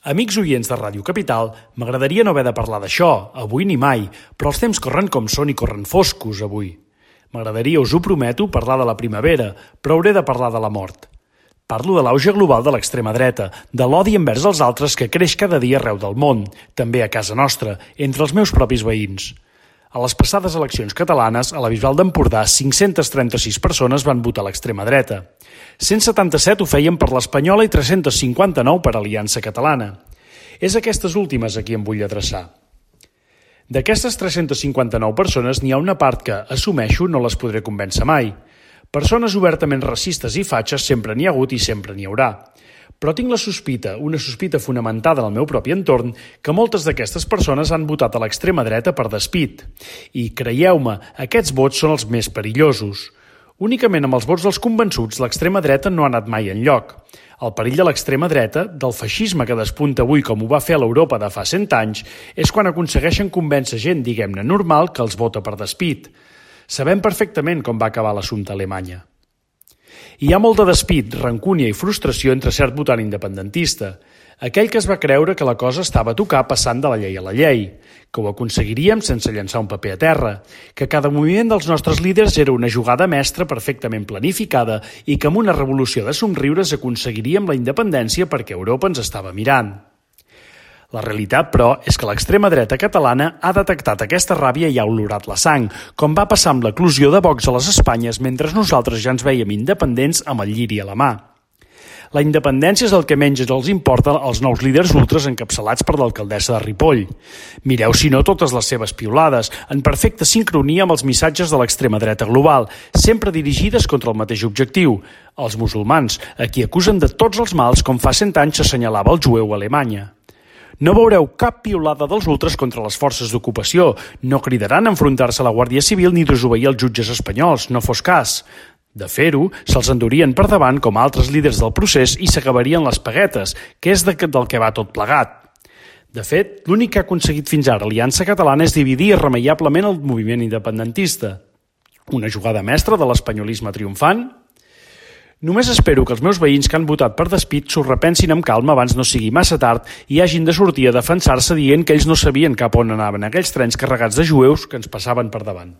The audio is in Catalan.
Amics oients de Ràdio Capital, m'agradaria no haver de parlar d'això, avui ni mai, però els temps corren com són i corren foscos avui. M'agradaria, us ho prometo, parlar de la primavera, però hauré de parlar de la mort. Parlo de l'auge global de l'extrema dreta, de l'odi envers els altres que creix cada dia arreu del món, també a casa nostra, entre els meus propis veïns. A les passades eleccions catalanes, a la Bisbal d'Empordà, 536 persones van votar a l'extrema dreta. 177 ho feien per l'Espanyola i 359 per Aliança Catalana. És aquestes últimes a qui em vull adreçar. D'aquestes 359 persones n'hi ha una part que, assumeixo, no les podré convèncer mai. Persones obertament racistes i fatxes sempre n'hi ha hagut i sempre n'hi haurà. Però tinc la sospita, una sospita fonamentada en el meu propi entorn, que moltes d'aquestes persones han votat a l'extrema dreta per despit. I, creieu-me, aquests vots són els més perillosos. Únicament amb els vots dels convençuts, l'extrema dreta no ha anat mai enlloc. El perill de l'extrema dreta, del feixisme que despunta avui com ho va fer a l'Europa de fa 100 anys, és quan aconsegueixen convèncer gent, diguem-ne, normal, que els vota per despit. Sabem perfectament com va acabar l'assumpte a Alemanya. Hi ha molt de despit, rancúnia i frustració entre cert votant independentista, aquell que es va creure que la cosa estava a tocar passant de la llei a la llei, que ho aconseguiríem sense llançar un paper a terra, que cada moviment dels nostres líders era una jugada mestra perfectament planificada i que amb una revolució de somriures aconseguiríem la independència perquè Europa ens estava mirant. La realitat, però, és que l'extrema dreta catalana ha detectat aquesta ràbia i ha olorat la sang, com va passar amb l'eclosió de Vox a les Espanyes mentre nosaltres ja ens vèiem independents amb el lliri a la mà. La independència és el que menys els importa als nous líders ultres encapçalats per l'alcaldessa de Ripoll. Mireu, si no, totes les seves piulades, en perfecta sincronia amb els missatges de l'extrema dreta global, sempre dirigides contra el mateix objectiu, els musulmans, a qui acusen de tots els mals com fa 100 anys s'assenyalava el jueu a Alemanya. No veureu cap piulada dels ultres contra les forces d'ocupació, no cridaran a enfrontar-se a la Guàrdia Civil ni desobeir els jutges espanyols, no fos cas. De fer-ho, se'ls endurien per davant com altres líders del procés i s'acabarien les paguetes, que és del que va tot plegat. De fet, l'únic que ha aconseguit fins ara Aliança Catalana és dividir irremeiablement el moviment independentista. Una jugada mestra de l'espanyolisme triomfant? Només espero que els meus veïns que han votat per despit s'ho repensin amb calma abans no sigui massa tard i hagin de sortir a defensar-se dient que ells no sabien cap on anaven aquells trens carregats de jueus que ens passaven per davant.